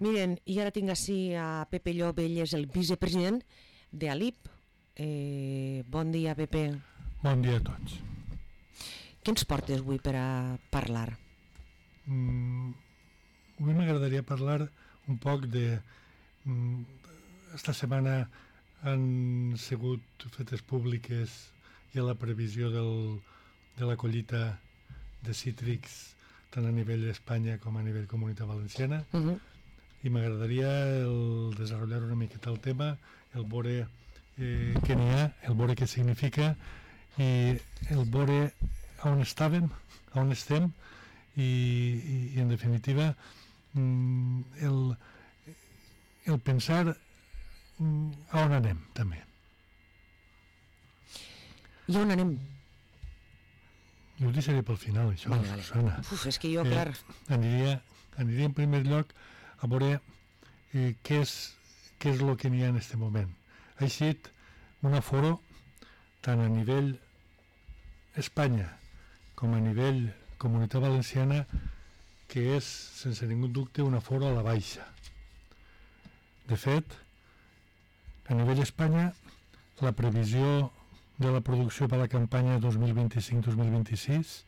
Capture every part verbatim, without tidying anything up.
Miren, i ara tinc així a Pepe Llop, ell és el vicepresident de A L I P. Eh, bon dia, Pepe. Bon dia a tots. Què ens portes avui per a parlar? Mm, avui m'agradaria parlar un poc de... Mm, esta setmana han sigut fetes públiques ja la previsió del, de la collita de cítrics tant a nivell d'Espanya com a nivell Comunitat Valenciana. Uh-huh. I m'agradaria el desenvolupar una miqueta el tema, el veure eh, què n'hi ha, el veure què significa i el veure on estàvem, on estem i, i, i en definitiva el, el pensar a on anem també. I on anem? Jo ho deixaré pel final, això, vale, vale. Susana. Uf, és que jo, clar... Eh, aniria, aniria en primer lloc a veure eh, què és què és el que n'hi ha en aquest moment. Ha eixit un aforo tant a nivell Espanya com a nivell Comunitat Valenciana que és, sense ningú dubte, un aforo a la baixa. De fet, a nivell Espanya, la previsió de la producció per a la campanya dos mil vint-i-cinc dos mil vint-i-sis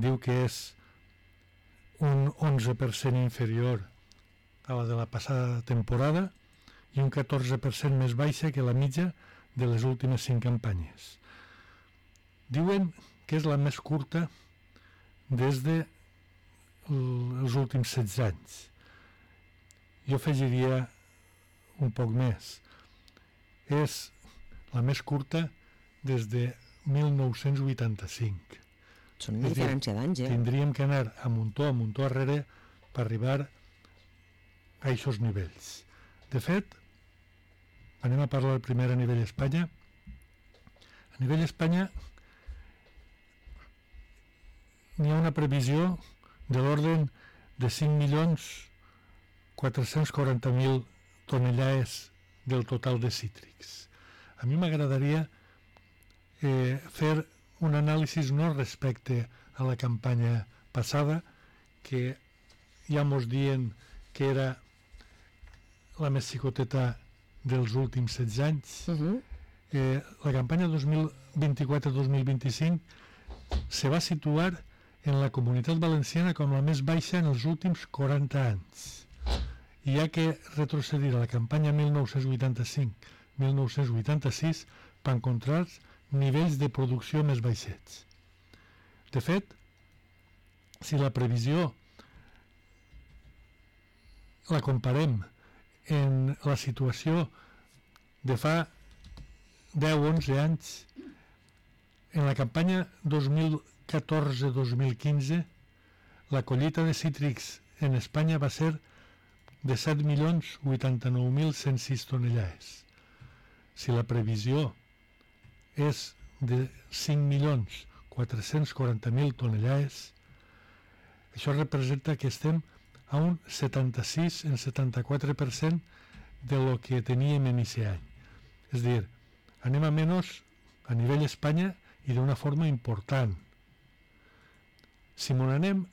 diu que és un onze per cent inferior a la de la passada temporada i un catorze per cent més baixa que la mitja de les últimes cinc campanyes. Diuen que és la més curta des de els últims setze anys. Jo afegiria un poc més. És la més curta des de mil nou-cents vuitanta-cinc. Són una diferència d'anys, eh? Tindríem que anar a muntó, a muntó arrere per arribar a aquests nivells. De fet, anem a parlar primer a nivell Espanya. A nivell Espanya n'hi ha una previsió de l'ordre de cinc milions quatre-cents quaranta mil tonellades del total de cítrics. A mi m'agradaria eh, fer un anàlisi no respecte a la campanya passada, que ja mos dient que era la més xicoteta dels últims setze anys. Uh-huh. Eh, la campanya dos mil vint-i-quatre dos mil vint-i-cinc se va situar en la Comunitat Valenciana com la més baixa en els últims quaranta anys. I hi ha que retrocedir a la campanya mil nou-cents vuitanta-cinc mil nou-cents vuitanta-sis per encontrar nivells de producció més baixets. De fet, si la previsió la comparem en la situació de fa deu o onze anys, en la campanya dos mil catorze dos mil quinze, la collita de cítrics en Espanya va ser de set milions vuitanta-nou mil cent sis tonellades. Si la previsió és de cinc milions quatre-cents quaranta mil tonellades, això representa que estem a un setanta-sis en setanta-quatre per cent de lo que teníem en aquest any. És a dir, anem a menys a nivell Espanya i d'una forma important. Si m'on anem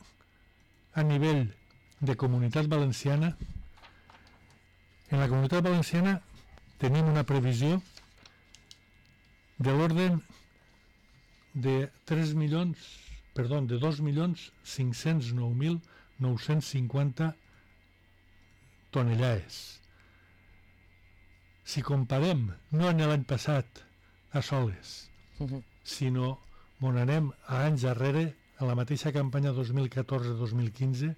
a nivell de Comunitat Valenciana, en la Comunitat Valenciana tenim una previsió de l'ordre de tres milions, perdó, de dos milions cinc-cents nou mil nou-cents cinquanta tonellades. Si comparem, no en l'any passat a soles, uh-huh. sinó on anem a anys darrere, a la mateixa campanya dos mil catorze dos mil quinze,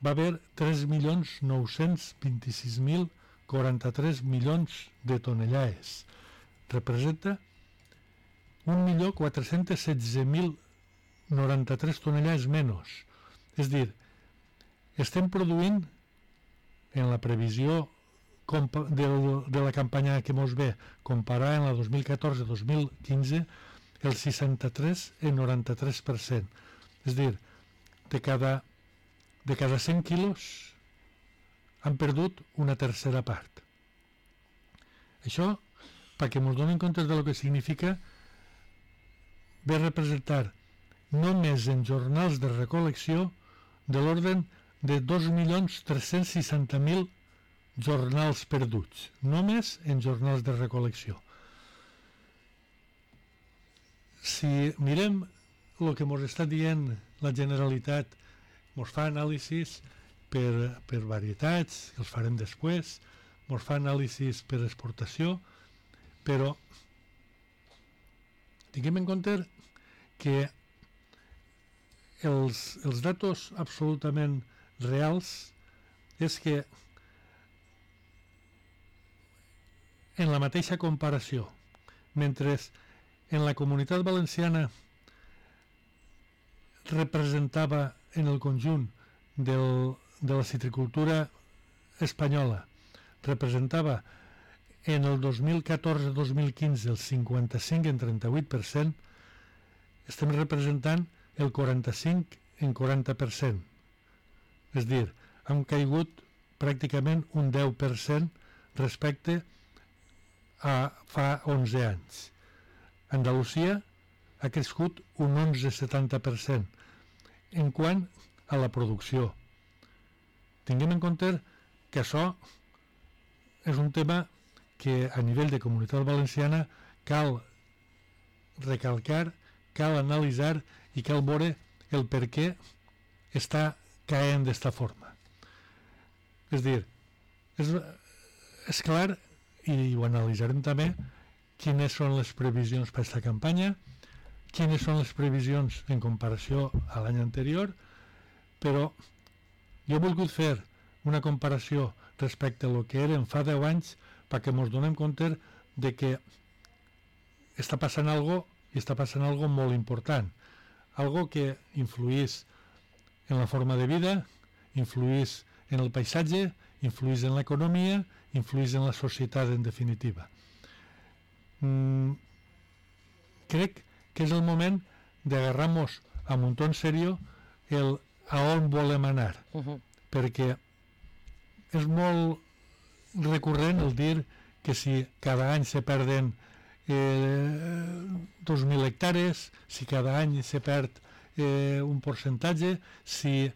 va haver tres milions nou-cents vint-i-sis mil quaranta-tres milions de tonellades. Representa un milió quatre-cents setze mil noranta-tres tonellades menys. És dir, estem produint en la previsió de, de la campanya que mos ve comparar en la dos mil catorze dos mil quinze el seixanta-tres i noranta-tres per cent. És dir, de cada de cada cent quilos han perdut una tercera part. Això, perquè ens donem compte de lo que significa, ve a representar només en jornals de recol·lecció de l'ordre de dos milions tres-cents seixanta mil jornals perduts, només en jornals de recol·lecció. Si mirem el que ens està dient la Generalitat, ens fa anàlisis per, per varietats, que els farem després, ens fa anàlisis per exportació, però tinguem en compte que els, els datos absolutament reals és que en la mateixa comparació, mentre en la Comunitat Valenciana representava en el conjunt del, de la citricultura espanyola, representava en el dos mil catorze dos mil quinze el cinquanta-cinc en trenta-vuit per cent, estem representant el quaranta-cinc en quaranta per cent. És a dir, hem caigut pràcticament un deu per cent respecte a fa onze anys. Andalusia ha crescut un onze coma setanta per cent en quant a la producció. Tinguem en compte que això és un tema que a nivell de Comunitat Valenciana cal recalcar, cal analitzar i cal veure el per què està caent d'esta forma. És dir, és, és clar, i ho analitzarem també, quines són les previsions per aquesta campanya, quines són les previsions en comparació a l'any anterior, però jo he volgut fer una comparació respecte a el que eren fa deu anys perquè ens donem compte de que està passant algo i està passant algo molt important, algo que influís en la forma de vida, influís en el paisatge, influís en l'economia, influís en la societat en definitiva. Mm, crec que és el moment d'agarrar-nos a muntó en serio el a on volem anar, uh-huh. perquè és molt recurrent el dir que si cada any se perden eh, dos mil hectàrees, si cada any se perd eh, un percentatge, si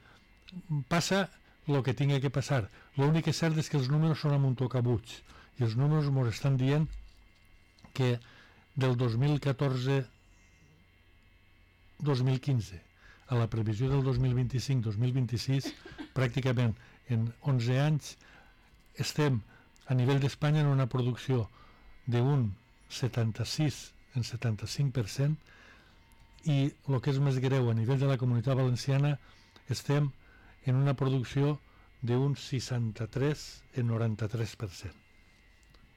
passa el que tingui que passar. L'únic que és cert és que els números són a muntó cabuts i els números ens estan dient que del dos mil catorze dos mil quinze a la previsió del dos mil vint-i-cinc dos mil vint-i-sis, pràcticament en onze anys estem a nivell d'Espanya en una producció d'un setanta-sis en setanta-cinc per cent i el que és més greu a nivell de la Comunitat Valenciana estem en una producció d'un seixanta-tres en noranta-tres per cent.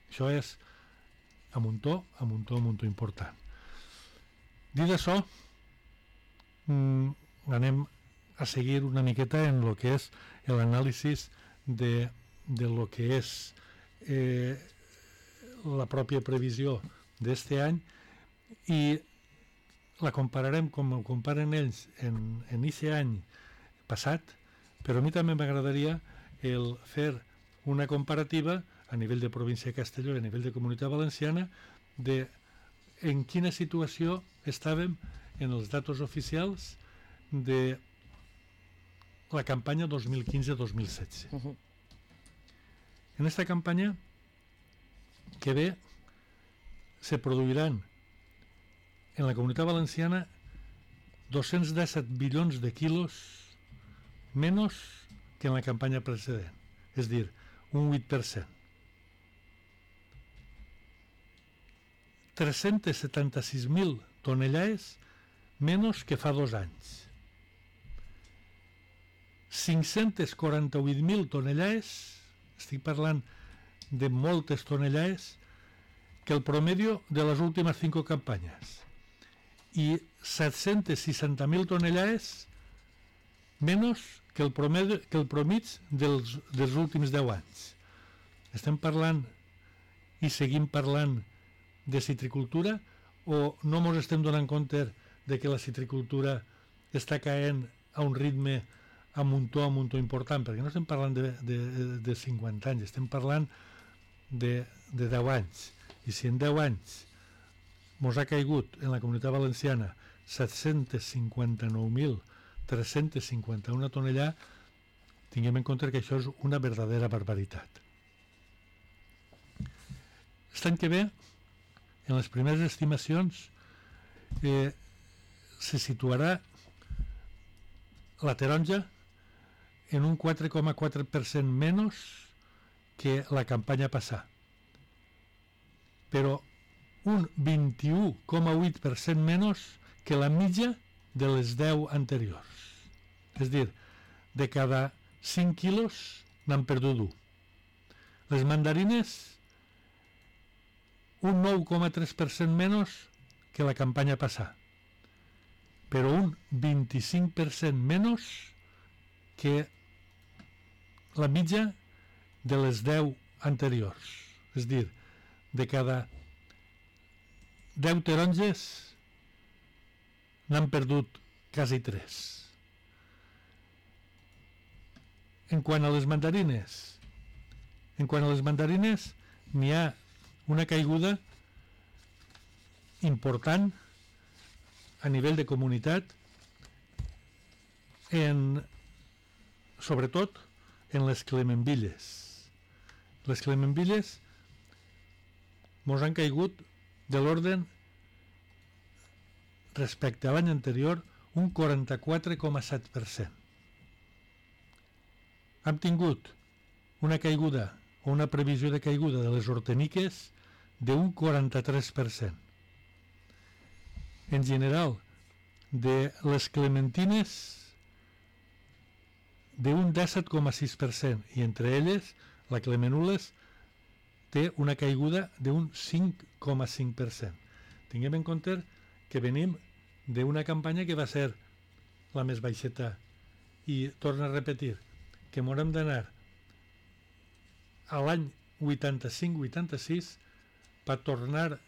Això és a muntó, a muntó, a muntó important. Dit això, mmm, anem a seguir una miqueta en el que és l'anàlisi de, de lo que és eh, la pròpia previsió d'este any i la compararem com ho comparen ells en, en aquest any passat, però a mi també m'agradaria el fer una comparativa a nivell de província de Castelló i a nivell de Comunitat Valenciana de en quina situació estàvem en els datos oficials de la campanya dos mil quinze dos mil setze. Uh-huh. En esta campanya que ve se produiran en la Comunitat Valenciana dos-cents disset bilions de quilos menys que en la campanya precedent, és dir, un vuit per cent. tres-cents setanta-sis mil tonellades menys que fa dos anys. cinc-cents quaranta-vuit mil tonellades, estic parlant de moltes tonellades, que el promedio de les últimes cinco campanyes. I set-cents seixanta mil tonellades menys que el promedio, que el promig dels, dels últims deu anys. Estem parlant i seguim parlant de citricultura o no ens estem donant compte de que la citricultura està caent a un ritme a muntó a muntó important, perquè no estem parlant de, de, de cinquanta anys, estem parlant de, de deu anys. I si en deu anys ens ha caigut en la Comunitat Valenciana set-cents cinquanta-nou mil tres-cents cinquanta-una tonellades, tinguem en compte que això és una verdadera barbaritat. L'any que ve, en les primeres estimacions, eh, se situarà la taronja en un quatre coma quatre per cent menys que la campanya passada, però un vint-i-u coma vuit per cent menys que la mitja de les deu anteriors. És a dir, de cada cinc quilos n'han perdut un. Les mandarines, un nou coma tres per cent menys que la campanya passada, però un vint-i-cinc per cent menys que la mitja de les deu anteriors. És a dir, de cada deu taronges n'han perdut quasi tres. En quant a les mandarines, en quant a les mandarines n'hi ha una caiguda important a nivell de comunitat, en, sobretot en les clemenvilles. Les clemenvilles mos han caigut de l'ordre, respecte a l'any anterior, un quaranta-quatre coma set per cent. Hem tingut una caiguda o una previsió de caiguda de les horteniques d'un quaranta-tres per cent. En general, de les clementines d'un disset coma sis per cent, i entre elles la clemenules té una caiguda d'un cinc coma cinc per cent. Tinguem en compte que venim d'una campanya que va ser la més baixeta, i torno a repetir que m'haurem d'anar a l'any vuitanta-cinc vuitanta-sis per tornar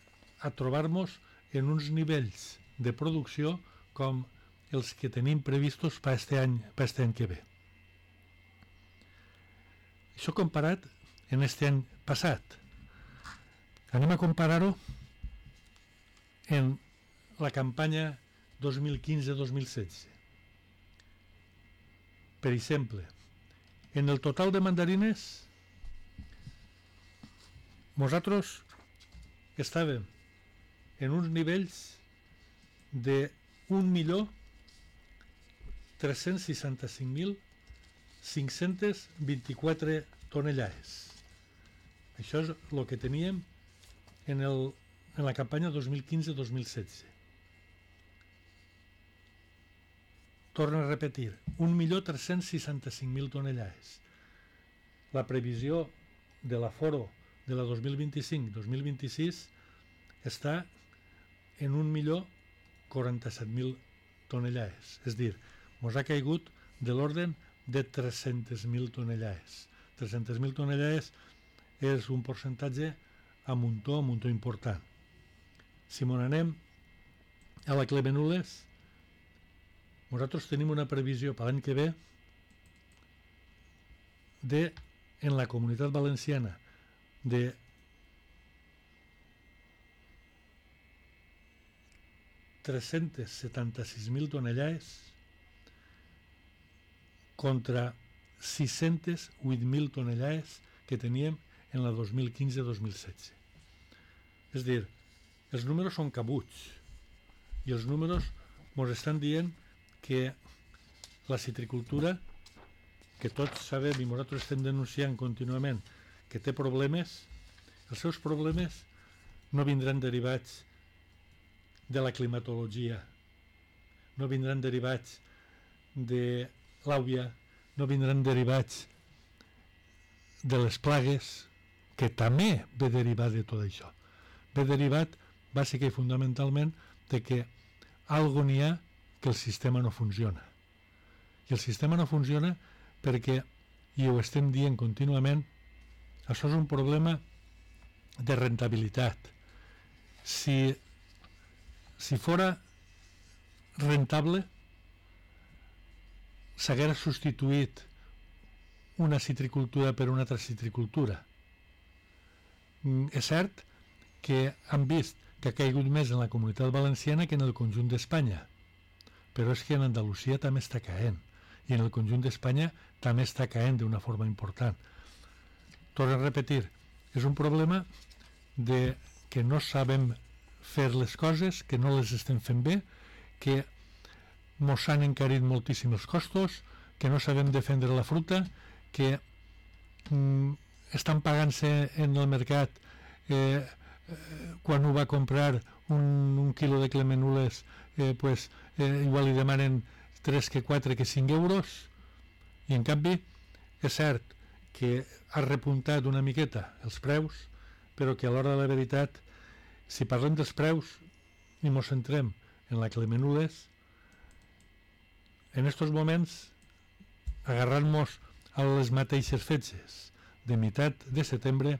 a trobar-nos en uns nivells de producció com els que tenim previstos per aquest any, per aquest any que ve. Això comparat en aquest any passat. Anem a comparar-ho en la campanya dos mil quinze dos mil setze. Per exemple, en el total de mandarines, nosaltres estàvem en uns nivells de un milió tres-cents seixanta-cinc mil cinc-cents vint-i-quatre tonellades. Això és el que teníem en, el, en la campanya dos mil quinze dos mil setze. Torno a repetir, un milió tres-cents seixanta-cinc mil tonellades. La previsió de l'aforo de la dos mil vint-i-cinc dos mil vint-i-sis està en un milió quaranta-set mil tonellades. És a dir, ens ha caigut de l'ordre de tres-centes mil tonellades. tres-centes mil tonellades és un percentatge a muntó, a muntó important. Si m'on anem a la clemenules, nosaltres tenim una previsió per l'any que ve de, en la Comunitat Valenciana, de tres-cents setanta-sis mil tonellades contra sis-cents vuit mil tonellades que teníem en la dos mil quinze dos mil setze. És a dir, els números són cabuts i els números ens estan dient que la citricultura, que tots sabem i nosaltres estem denunciant contínuament que té problemes, els seus problemes no vindran derivats de la climatologia, no vindran derivats de l'àvia, no vindran derivats de les plagues, que també ve derivat de tot això. Ve derivat, bàsicament i fonamentalment, de que algo n'hi ha que el sistema no funciona. I el sistema no funciona perquè, i ho estem dient contínuament, això és un problema de rentabilitat. Si, si fora rentable, s'haguera substituït una citricultura per una altra citricultura. És cert que han vist que ha caigut més en la Comunitat Valenciana que en el conjunt d'Espanya, però és que en Andalusia també està caent, i en el conjunt d'Espanya també està caent d'una forma important. Torno a repetir, és un problema de que no sabem fer les coses, que no les estem fent bé, que mos han encarit moltíssim els costos, que no sabem defendre la fruita, que mm, estan pagant-se en el mercat eh, eh, quan ho va comprar un, un quilo de clemenules eh, pues, eh, igual li demanen tres que quatre que cinc euros, i en canvi és cert que ha repuntat una miqueta els preus, però que a l'hora de la veritat, si parlem dels preus i mos centrem en la clemenules, en estos moments, agarrant-nos a les mateixes fetges de meitat de setembre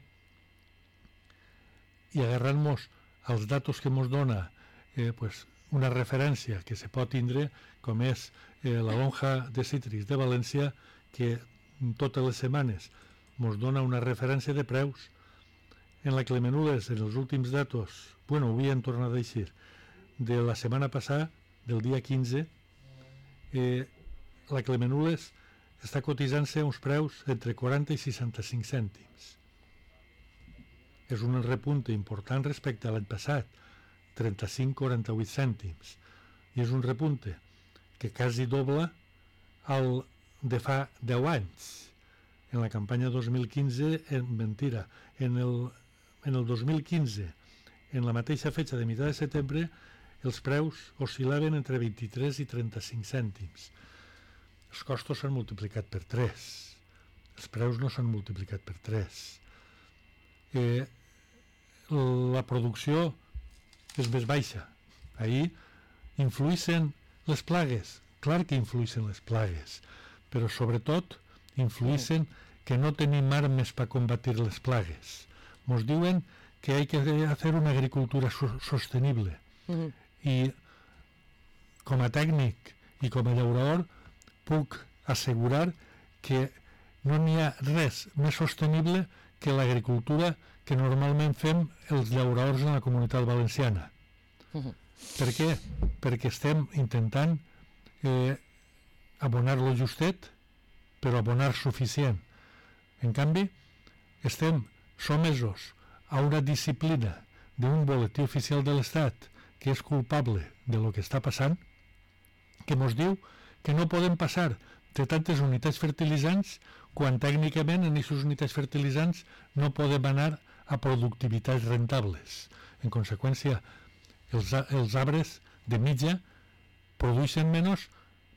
i agarrant-nos als datos que ens dona eh, pues, una referència que se pot tindre, com és eh, la lonja de cítrics de València, que totes les setmanes ens dona una referència de preus. En la clemenules, en els últims datos, bueno, ho havien tornat a deixar, de la setmana passada, del dia quinze, eh, la clemenules està cotitzant-se uns preus entre quaranta i seixanta-cinc cèntims. És un repunte important respecte a l'any passat, trenta-cinc a quaranta-vuit cèntims, i és un repunte que quasi dobla el de fa deu anys. En la campanya dos mil quinze, en, mentira, en el, en el dos mil quinze, en la mateixa fetge de meitat de setembre, els preus oscil·laven entre vint-i-tres i trenta-cinc cèntims. Els costos s'han multiplicat per tres. Els preus no s'han multiplicat per tres. Eh, la producció és més baixa. Ahir influïssin les plagues. Clar que influïssin les plagues, però sobretot influïssin que no tenim armes per combatir les plagues. Ens diuen que hay que hacer una agricultura so- sostenible. Uh-huh. I com a tècnic i com a llaurador puc assegurar que no n'hi ha res més sostenible que l'agricultura que normalment fem els llauradors en la comunitat valenciana. Uh-huh. Per què? Perquè estem intentant eh, abonar lo justet, però abonar suficient. En canvi, estem somesos a una disciplina d'un boletí oficial de l'Estat que és culpable de lo que està passant, que ens diu que no podem passar de tantes unitats fertilitzants quan tècnicament en aquestes unitats fertilitzants no podem anar a productivitats rentables. En conseqüència, els, els arbres de mitja produeixen menys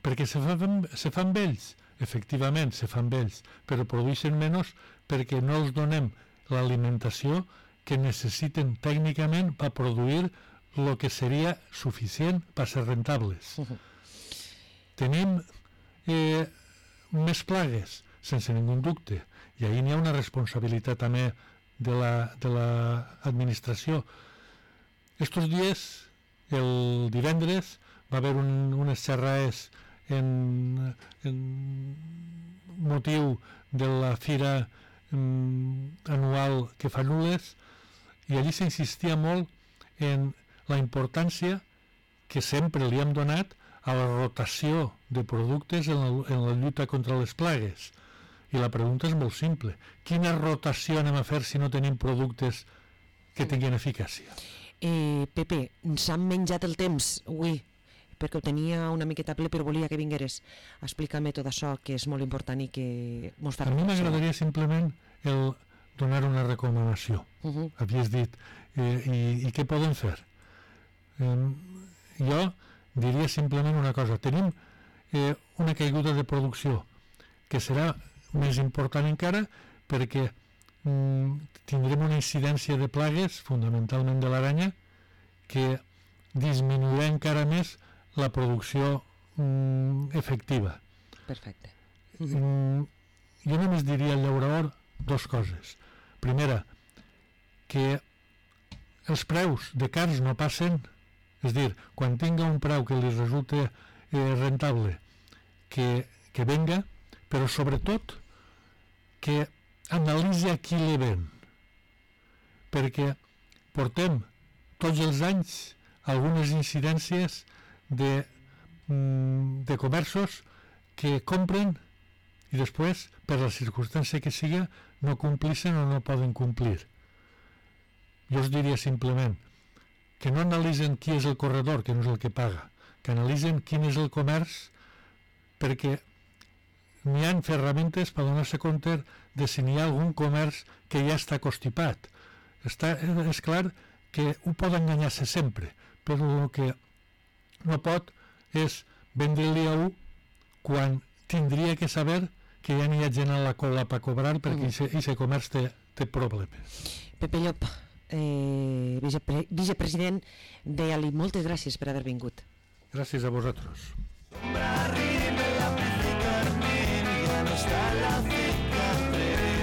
perquè se fan, se fan vells. Efectivament, se fan vells, però produeixen menys perquè no els donem l'alimentació que necessiten tècnicament per produir el que seria suficient per ser rentables. Uh-huh. Tenim eh, més plagues, sense ningú dubte, i ahir n'hi ha una responsabilitat també de l'administració. La, Estos dies, el divendres, va haver un, unes xerrades en, en motiu de la fira mm, anual que fa Nules, i allí s'insistia molt en la importància que sempre li hem donat a la rotació de productes en la, en la lluita contra les plagues. I la pregunta és molt simple. Quina rotació anem a fer si no tenim productes que tinguin eficàcia? Eh, Pepe, s'han menjat el temps avui, perquè ho tenia una miqueta ple, però volia que vingueres a explicar-me tot això, que és molt important i que mos fa... A mi m'agradaria simplement el donar una recomanació. Uh-huh. Havies dit, eh, i, i què podem fer? Eh, jo diria simplement una cosa. Tenim eh, una caiguda de producció que serà més important encara perquè mm, tindrem una incidència de plagues, fonamentalment de l'aranya, que disminuirà encara més la producció mm, efectiva. Perfecte. Uh-huh. Mm, jo només diria al llaurador dos coses. Primera, que els preus de cars no passen, és dir, quan tinga un preu que li resulta eh, rentable, que, que venga, però sobretot que analitzi a qui li ven, perquè portem tots els anys algunes incidències de, mm, de comerços que compren i després, per la circumstància que siga, no complixen o no poden complir. Jo us diria simplement que no analitzen qui és el corredor, que no és el que paga, que analitzen quin és el comerç, perquè n'hi ha ferramentes per donar-se compte de si n'hi ha algun comerç que ja està constipat. Està, és clar que ho pot enganyar-se sempre, però el que no pot és vendre-li a un quan tindria que saber que ja n'hi ha gent a la cola per cobrar perquè aquest mm. comerç té, té problemes. Pepe Llop, eh, vicepre vicepresident de Ali, moltes gràcies per haver vingut. Gràcies a vosaltres. Arriba la Carmen, ya no está la